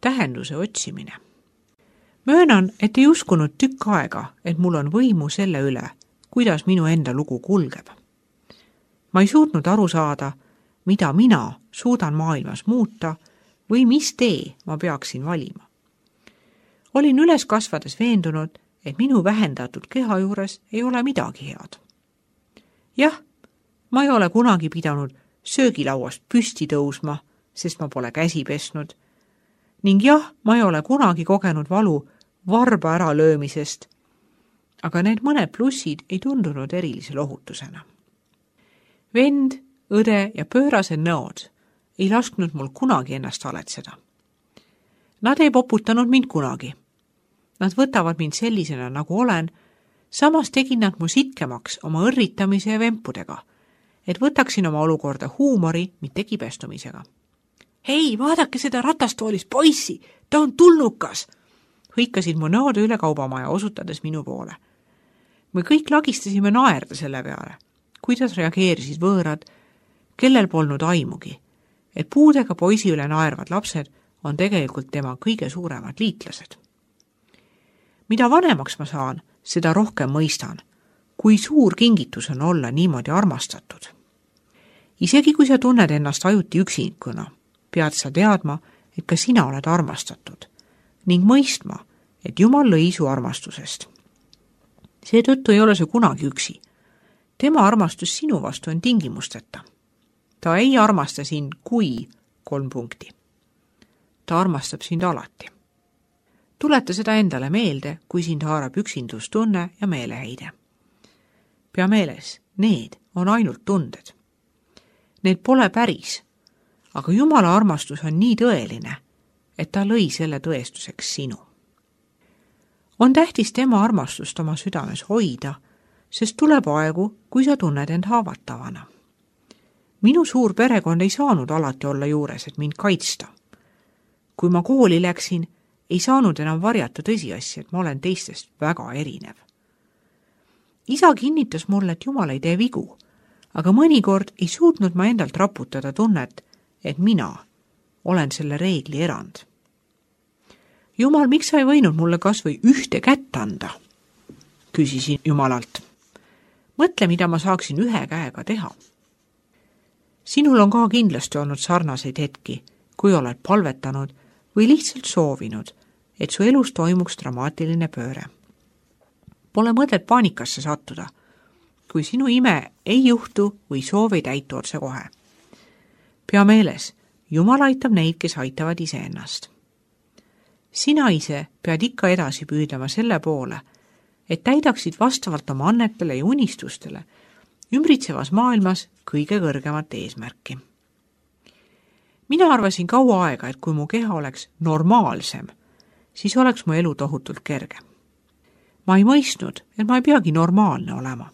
tähenduse otsimine. Möönan, et ei uskunud tükk aega, et mul on võimu selle üle, kuidas minu enda lugu kulgeb. Ma ei suutnud aru saada, mida mina suudan maailmas muuta või mis tee ma peaksin valima. Olin üles kasvades veendunud, et minu vähendatud keha juures ei ole midagi head. Jah, ma ei ole kunagi pidanud söögilauast püsti tõusma, sest ma pole käsi pesnud. Ning jah, ma ei ole kunagi kogenud valu varba ära löömisest, aga need mõned plussid ei tundunud erilise lohutusena. Vend, õde ja pöörased nõod ei lasknud mul kunagi ennast haletseda. Nad ei poputanud mind kunagi. Nad võtavad mind sellisena, nagu olen, samas tegid nad mu sitkemaks oma õrritamise ja vempudega, et võtaksin oma olukorda huumori, mitte kibestumisega. Hei, vaadake seda ratastoolis poissi, ta on tulnukas! Hõikasid mu nõode üle kaubamaja, osutades minu poole. Me kõik lagistasime naerda selle peale, kuidas reageerisid võõrad, kellel polnud aimugi, et puudega poisi üle naervad lapsed on tegelikult tema kõige suuremad liitlased. Mida vanemaks ma saan, seda rohkem mõistan, kui suur kingitus on olla niimoodi armastatud. Isegi kui sa tunned ennast ajuti üksinikuna, pead sa teadma, et ka sina oled armastatud ning mõistma, et Jumal lõi su armastusest. Seetõttu ei ole see kunagi üksi. Tema armastus sinu vastu on tingimusteta. Ta ei armasta sind kui 3 punkti. Ta armastab sind alati. Tuleta seda endale meelde, kui sind haarab üksindustunne ja meeleheide. Pea meeles, need on ainult tunded. Need pole päris, aga Jumala armastus on nii tõeline, et ta lõi selle tõestuseks sinu. On tähtis tema armastust oma südames hoida, sest tuleb aegu, kui sa tunned end haavatavana. Minu suur perekond ei saanud alati olla juures, et mind kaitsta. Kui ma kooli läksin, ei saanud enam varjata tõsiasja, et ma olen teistest väga erinev. Isa kinnitas mulle, et Jumal ei tee vigu, aga mõnikord ei suutnud ma endalt raputada tunnet, et mina olen selle reegli erand. Jumal, miks sa ei võinud mulle kas või ühte kätt anda? Küsisin Jumalalt. Mõtle, mida ma saaksin ühe käega teha. Sinul on ka kindlasti olnud sarnaseid hetki, kui oled palvetanud või lihtsalt soovinud, et su elus toimuks dramaatiline pööre. Pole mõtet paanikasse sattuda, kui sinu ime ei juhtu või soov ei täitu otse kohe. Pea meeles, Jumal aitab neid, kes aitavad iseennast. Sina ise pead ikka edasi püüdlema selle poole, et täidaksid vastavalt oma annetele ja unistustele ümbritsevas maailmas kõige kõrgemat eesmärki. Mina arvasin kaua aega, et kui mu keha oleks normaalsem, siis oleks mu elu tohutult kerge. Ma ei mõistnud, et ma ei peagi normaalne olema.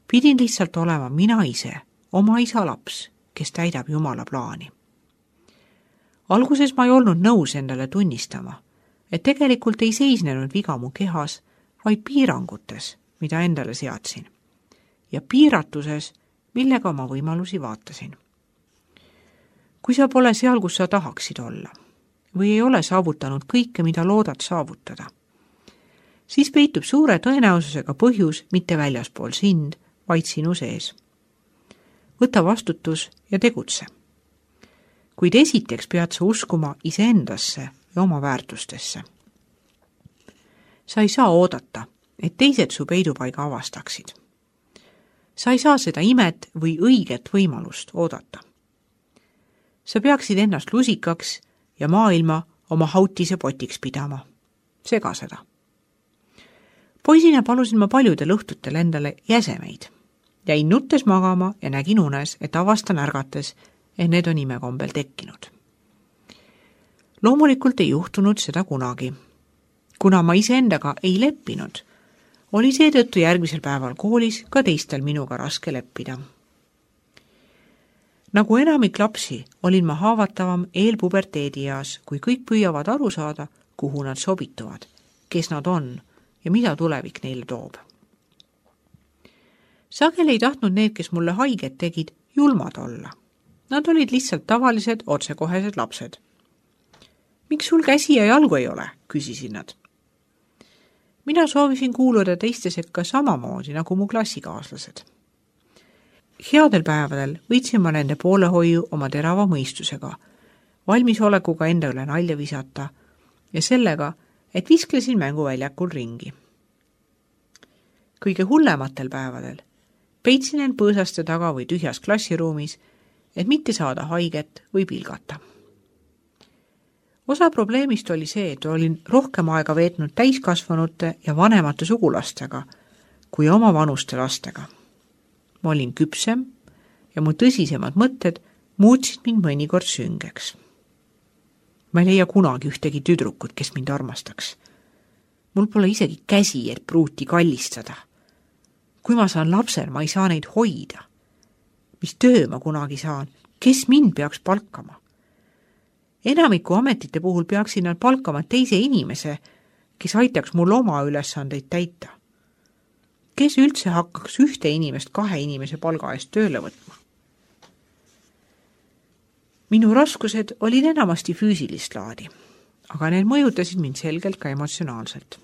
Pidin lihtsalt olema mina ise, oma isa laps, kes täidab Jumala plaani. Alguses ma ei olnud nõus endale tunnistama, et tegelikult ei seisnenud viga mu kehas, vaid piirangutes, mida endale seadsin, ja piiratuses, millega oma võimalusi vaatasin. Kui sa pole seal, kus sa tahaksid olla, või ei ole saavutanud kõike, mida loodad saavutada, siis peitub suure tõenäosusega põhjus mitte väljaspool sind, vaid sinu sees. Võta vastutus ja tegutse. Kuid esiteks pead sa uskuma iseendasse ja oma väärtustesse. Sa ei saa oodata, et teised su peidupaiga avastaksid. Sa ei saa seda imet või õiget võimalust oodata. Sa peaksid ennast lusikaks ja maailma oma hautise potiks pidama. Sega seda. Poisina palusin ma paljudel õhtutel endale jäsemeid. Jäin nuttes magama ja nägin unes, et avastan ärgates, et need on imekombel tekkinud. Loomulikult ei juhtunud seda kunagi. Kuna ma iseendaga ei leppinud, oli seetõttu järgmisel päeval koolis ka teistel minuga raske leppida. Nagu enamik lapsi, olin ma haavatavam eelpuberteedieas, kui kõik püüavad aru saada, kuhu nad sobituvad, kes nad on ja mida tulevik neile toob. Sageli ei tahtnud need, kes mulle haiget tegid, julmad olla. Nad olid lihtsalt tavalised, otsekohesed lapsed. Miks sul käsi ja jalgu ei ole, küsisin nad. Mina soovisin kuuluda teiste sekka samamoodi nagu mu klassikaaslased. Headel päevadel võitsin ma nende poolehoiu oma terava mõistusega, valmisolekuga enda üle nalja visata ja sellega, et visklesin mänguväljakul ringi. Kõige hullematel päevadel peitsin end põõsaste taga või tühjas klassiruumis, et mitte saada haiget või pilgata. Osa probleemist oli see, et olin rohkem aega veetnud täiskasvanute ja vanemate sugulastega kui oma vanuste lastega. Ma olin küpsem ja mu tõsisemad mõtted muutsid mind mõnikord süngeks. Ma ei leia kunagi ühtegi tüdrukut, kes mind armastaks. Mul pole isegi käsi, et pruuti kallistada. Kui ma saan lapsel, ma ei saa neid hoida. Mis töö ma kunagi saan? Kes mind peaks palkama? Enamiku ametite puhul peaksin nad palkama teise inimese, kes aitaks mul oma ülesandeid täita. Kes üldse hakkaks ühte inimest 2 inimese palga eest tööle võtma? Minu raskused olid enamasti füüsilist laadi, aga need mõjutasid mind selgelt ka emotsionaalselt.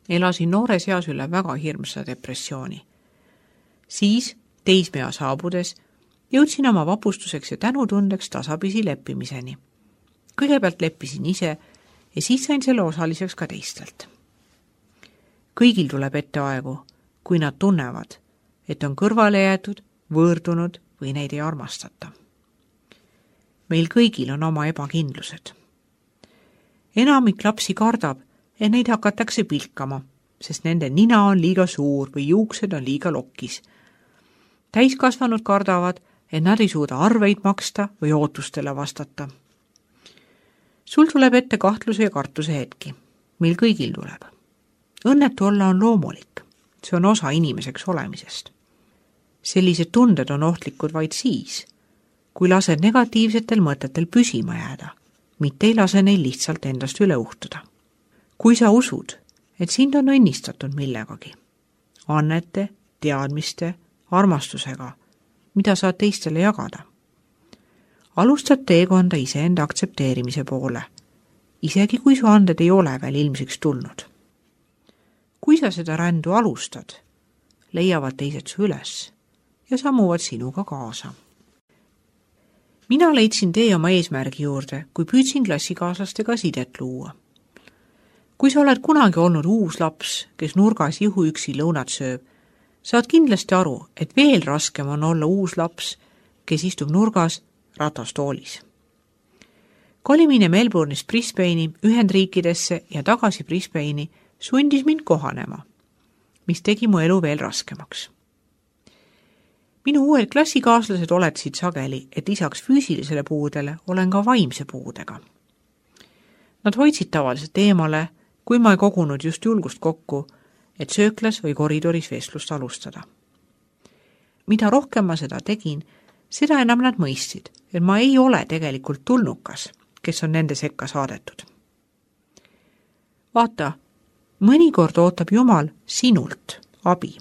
Elasin noores eas üle väga hirmsa depressiooni. Siis, teismea saabudes, jõudsin oma vapustuseks ja tänutundeks tasapisi leppimiseni. Kõigepealt leppisin ise ja siis sain selle osaliseks ka teistelt. Kõigil tuleb ette aegu, kui nad tunnevad, et on kõrvale jäetud, võõrdunud või neid ei armastata. Meil kõigil on oma ebakindlused. Enamik lapsi kardab, et neid hakatakse pilkama, sest nende nina on liiga suur või juuksed on liiga lokkis. Täiskasvanud kardavad, et nad ei suuda arveid maksta või ootustele vastata. Sul tuleb ette kahtluse ja kartuse hetki. Meil kõigil tuleb. Õnnetu olla on loomulik. See on osa inimeseks olemisest. Sellised tunded on ohtlikud vaid siis, kui lased negatiivsetel mõtetel püsima jääda, mitte ei lase neil lihtsalt endast üle uhtuda. Kui sa usud, et sind on õnnistatud millegagi, annete, teadmiste, armastusega, mida saad teistele jagada. Alustad teekonda iseenda aktsepteerimise poole, isegi kui su anded ei ole veel ilmsiks tulnud. Kui sa seda rändu alustad, leiavad teised su üles ja sammuvad sinuga kaasa. Mina leidsin tee oma eesmärgi juurde, kui püüdsin klassikaaslastega sidet luua. Kui sa oled kunagi olnud uus laps, kes nurgas juhuüksi lõunat sööb, saad kindlasti aru, et veel raskem on olla uus laps, kes istub nurgas ratastoolis. Kolimine Melbourne'ist Brisbane'i, Ühendriikidesse ja tagasi Brisbane'i sundis mind kohanema, mis tegi mu elu veel raskemaks. Minu uued klassikaaslased oletasid sageli, et lisaks füüsilisele puudele olen ka vaimse puudega. Nad hoidsid tavaliselt eemale, kui ma ei kogunud just julgust kokku, et sööklas või koridoris vestlust alustada. Mida rohkem ma seda tegin, seda enam nad mõistsid, et ma ei ole tegelikult tulnukas, kes on nende sekka saadetud. Vaata, mõnikord ootab Jumal sinult abi.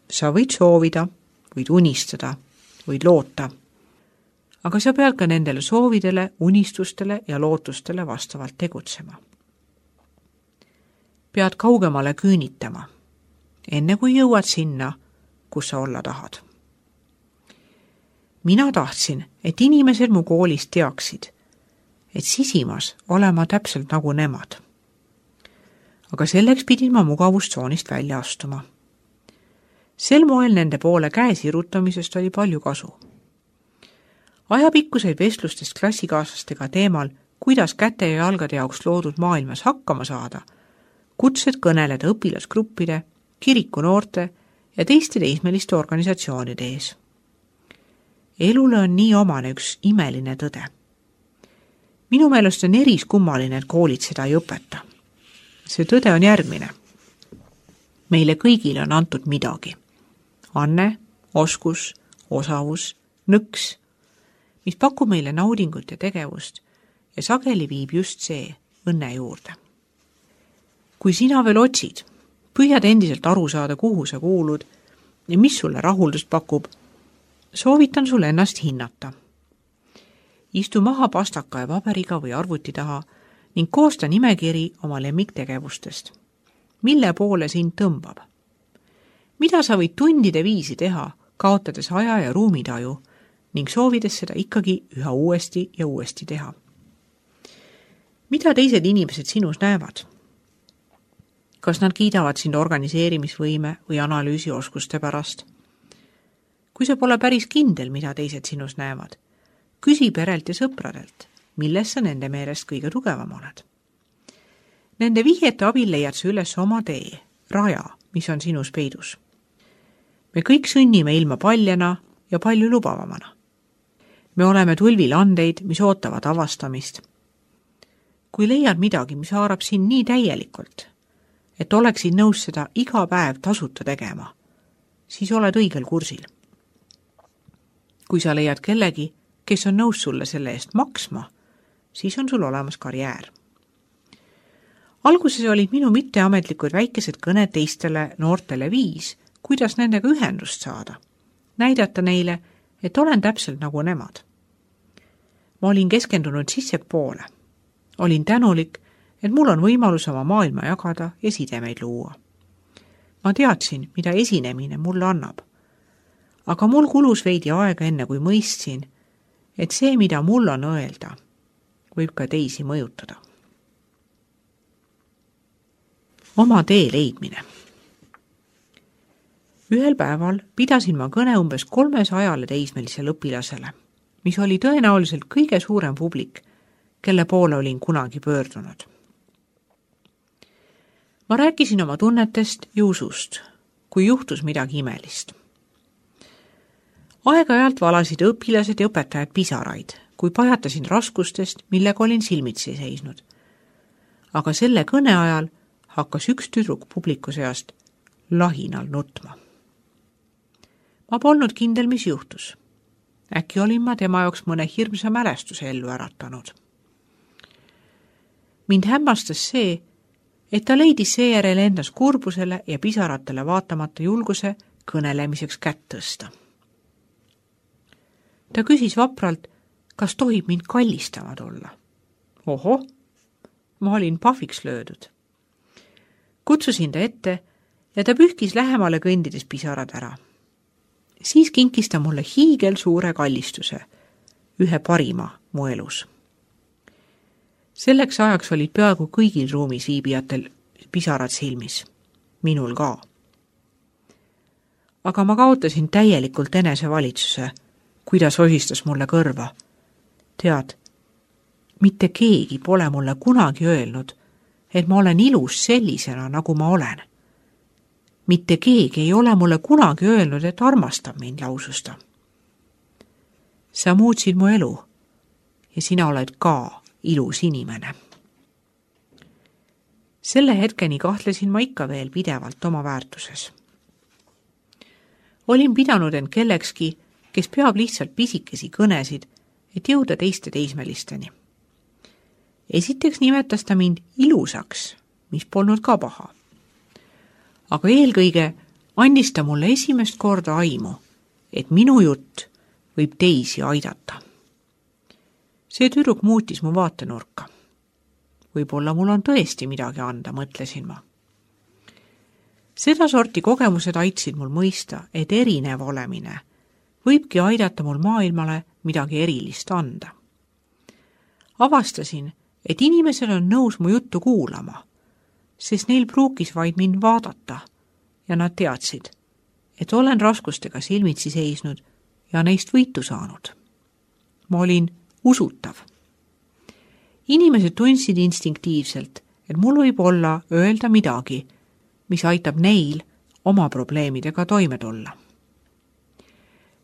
Sa võid soovida, võid unistada, võid loota, aga sa pead ka nendele soovidele, unistustele ja lootustele vastavalt tegutsema. Pead kaugemale küünitama, enne kui jõuad sinna, kus sa olla tahad. Mina tahtsin, et inimesed mu koolis teaksid, et sisimas olema täpselt nagu nemad. Aga selleks pidin ma mugavustsoonist välja astuma. Sel moel nende poole käe sirutamisest oli palju kasu. Ajapikkuseid vestlustest klassikaaslastega teemal, kuidas käte ja jalgade jaoks loodud maailmas hakkama saada, kutsed kõneleda õpilasgruppide, kirikunoorte ja teiste teismeliste organisatsioonide ees. Elule on nii omane üks imeline tõde. Minu meelest on eriskummaline, et koolid seda ei õpeta. See tõde on järgmine. Meile kõigile on antud midagi. Anne, oskus, osavus, nõks, mis pakub meile naudingut ja tegevust ja sageli viib just see õnne juurde. Kui sina veel otsid, püüad endiselt aru saada, kuhu sa kuulud ja mis sulle rahuldust pakub, soovitan sulle ennast hinnata. istu maha pastaka ja paberiga või arvuti taha ning koosta nimekiri oma lemmiktegevustest. Mille poole sind tõmbab? Mida sa võid tundide viisi teha, kaotades aja ja ruumitaju ning soovides seda ikkagi üha uuesti ja uuesti teha? Mida teised inimesed sinus näevad? Kas nad kiidavad sind organiseerimisvõime või analüüsioskuste pärast? Kui sa pole päris kindel, mida teised sinus näevad, küsi perelt ja sõpradelt, milles sa nende meelest kõige tugevam oled. Nende vihjete abil leiad sa üles oma tee, raja, mis on sinus peidus. Me kõik sõnnime ilma paljana ja palju lubavamana. Me oleme tulvilandeid, mis ootavad avastamist. Kui leiad midagi, mis haarab sind nii täielikult, et oleksid nõus seda iga päev tasuta tegema, siis oled õigel kursil. Kui sa leiad kellegi, kes on nõus sulle selle eest maksma, siis on sul olemas karjäär. Alguses olid minu mitteametlikud väikesed kõned teistele noortele viis, kuidas nendega ühendust saada, näidata neile, et olen täpselt nagu nemad. Ma olin keskendunud sissepoole. Olin tänulik, et mul on võimalus oma maailma jagada ja sidemeid luua. Ma teadsin, mida esinemine mulle annab. Aga mul kulus veidi aega enne, kui mõistsin, et see, mida mul on öelda, võib ka teisi mõjutada. Oma tee leidmine. Ühel päeval pidasin ma kõne umbes 300 teismelisele õpilasele, mis oli tõenäoliselt kõige suurem publik, kelle poole olin kunagi pöördunud. Ma rääkisin oma tunnetest ja usust, kui juhtus midagi imelist. Aeg-ajalt valasid õpilased ja õpetajad pisaraid, kui pajatasin raskustest, millega olin silmitsi seisnud. Aga selle kõne ajal hakkas üks tüdruk publiku seast lahinal nutma. Ma polnud kindel, mis juhtus. Äkki olin ma tema jaoks mõne hirmsa mälestuse ellu äratanud. Mind hämmastas see, et ta leidis seejärel endas kurbusele ja pisaratele vaatamata julguse kõnelemiseks kätt tõsta. Ta küsis vapralt, kas tohib mind kallistamad olla. Oho, ma olin pahviks löödud. Kutsusin ta ette ja ta pühkis lähemale kõndides pisarad ära. Siis kinkis ta mulle hiigel suure kallistuse, ühe parima mu elus. Selleks ajaks olid peaaegu kõigil ruumis viibijatel pisarad silmis, minul ka. Aga ma kaotasin täielikult enesevalitsuse, kuidas osistas mulle kõrva. Tead, mitte keegi pole mulle kunagi öelnud, et ma olen ilus sellisena, nagu ma olen. Mitte keegi ei ole mulle kunagi öelnud, et armastab mind, lausus ta. Sa muutsid mu elu ja sina oled ka ilus inimene. Selle hetkeni kahtlesin ma ikka veel pidevalt oma väärtuses. Olin pidanud end kellekski, kes peab lihtsalt pisikesi kõnesid, et jõuda teiste teismelisteni. Esiteks nimetas ta mind ilusaks, mis polnud ka paha. Aga eelkõige andis ta mulle esimest korda aimu, et minu jutt võib teisi aidata. See tüdruk muutis mu vaatenurka. Võib-olla mul on tõesti midagi anda, mõtlesin ma. Seda sorti kogemused aitsid mul mõista, et erinev olemine võibki aidata mul maailmale midagi erilist anda. Avastasin, et inimesel on nõus mu juttu kuulama, sest neil pruukis vaid mind vaadata ja nad teadsid, et olen raskustega silmitsi seisnud ja neist võitu saanud. Ma olin usutav. Inimesed tundsid instinktiivselt, et mul võib olla öelda midagi, mis aitab neil oma probleemidega toime tulla.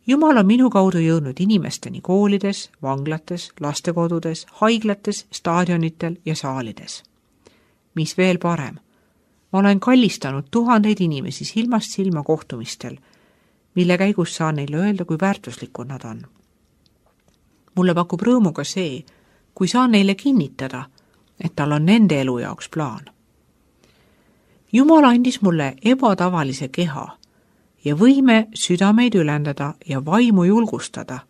Jumal on minu kaudu jõudnud inimesteni koolides, vanglates, lastekodudes, haiglates, staadionitel ja saalides. Mis veel parem, ma olen kallistanud tuhandeid inimesi silmast silma kohtumistel, mille käigus saan neile öelda, kui väärtuslikud nad on. Mulle pakub rõõmu ka see, kui saan neile kinnitada, et tal on nende elu jaoks plaan. Jumal andis mulle ebatavalise keha ja võime südameid ülendada ja vaimu julgustada,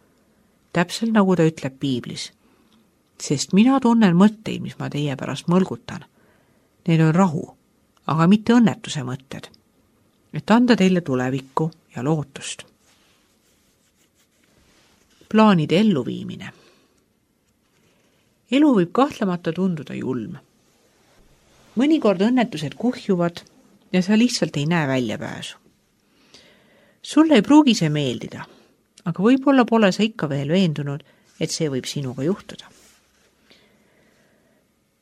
täpselt nagu ta ütleb piiblis. Sest mina tunnen mõtteid, mis ma teie pärast mõlgutan. Need on rahu, aga mitte õnnetuse mõtted, et anda teile tulevikku ja lootust. Plaanide elluviimine. Elu võib kahtlemata tunduda julm. Mõnikord õnnetused kuhjuvad ja sa lihtsalt ei näe väljapääsu. Sulle ei pruugi see meeldida, aga võib-olla pole sa ikka veel veendunud, et see võib sinuga juhtuda.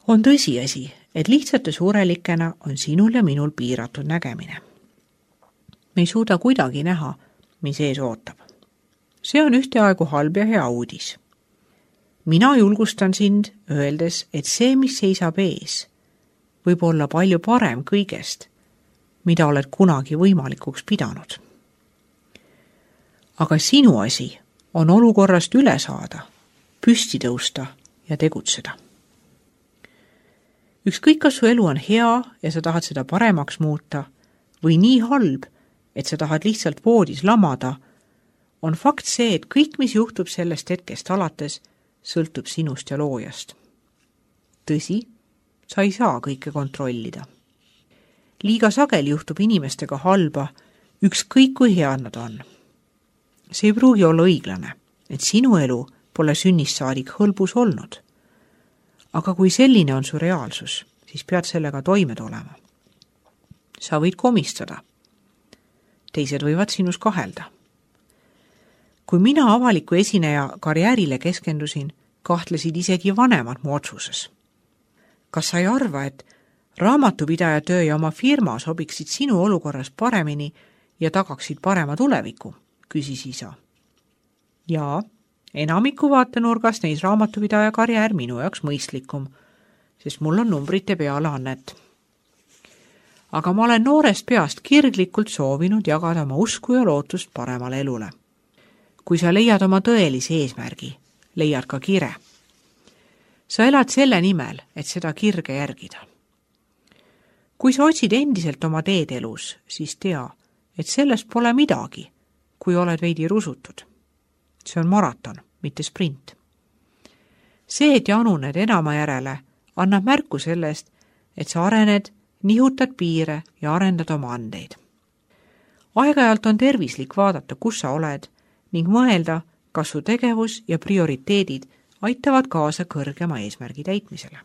On tõsiasi, et lihtsate surelikena on sinul ja minul piiratud nägemine. Me ei suuda kuidagi näha, mis ees ootab. See on ühteaegu halb ja hea uudis. Mina julgustan sind, öeldes, et see, mis seisab ees, võib olla palju parem kõigest, mida oled kunagi võimalikuks pidanud. Aga sinu asi on olukorrast üle saada, püsti tõusta ja tegutseda. Ükskõik, kas su elu on hea ja sa tahad seda paremaks muuta või nii halb, et sa tahad lihtsalt voodis lamada, on fakt see, et kõik, mis juhtub sellest hetkest alates, sõltub sinust ja loojast. Tõsi, sa ei saa kõike kontrollida. Liiga sageli juhtub inimestega halba, ükskõik kui head nad on. See ei pruugi olla õiglane, et sinu elu pole sünnist saadik hõlbus olnud. Aga kui selline on su reaalsus, siis pead sellega toime tulema. Sa võid komistada. Teised võivad sinus kahelda. Kui mina avaliku esineja karjäärile keskendusin, kahtlesid isegi vanemad mu otsuses. Kas sa ei arva, et raamatupidaja töö ja oma firma sobiksid sinu olukorras paremini ja tagaksid parema tuleviku, küsis isa. Jaa, enamiku vaatenurgast neis raamatupidaja karjäär minu jaoks mõistlikum, sest mul on numbrite peale annet. Aga ma olen noorest peast kirglikult soovinud jagada oma usku ja lootust paremale elule. Kui sa leiad oma tõelise eesmärgi, leiad ka kire. Sa elad selle nimel, et seda kirge järgida. Kui sa otsid endiselt oma teed elus, siis tea, et sellest pole midagi, kui oled veidi rusutud. See on maraton, mitte sprint. See, et januned enama järele, annab märku sellest, et sa arened, nihutad piire ja arendad oma andeid. Aeg-ajalt on tervislik vaadata, kus sa oled, ning mõelda, kas su tegevus ja prioriteedid aitavad kaasa kõrgema eesmärgi täitmisele.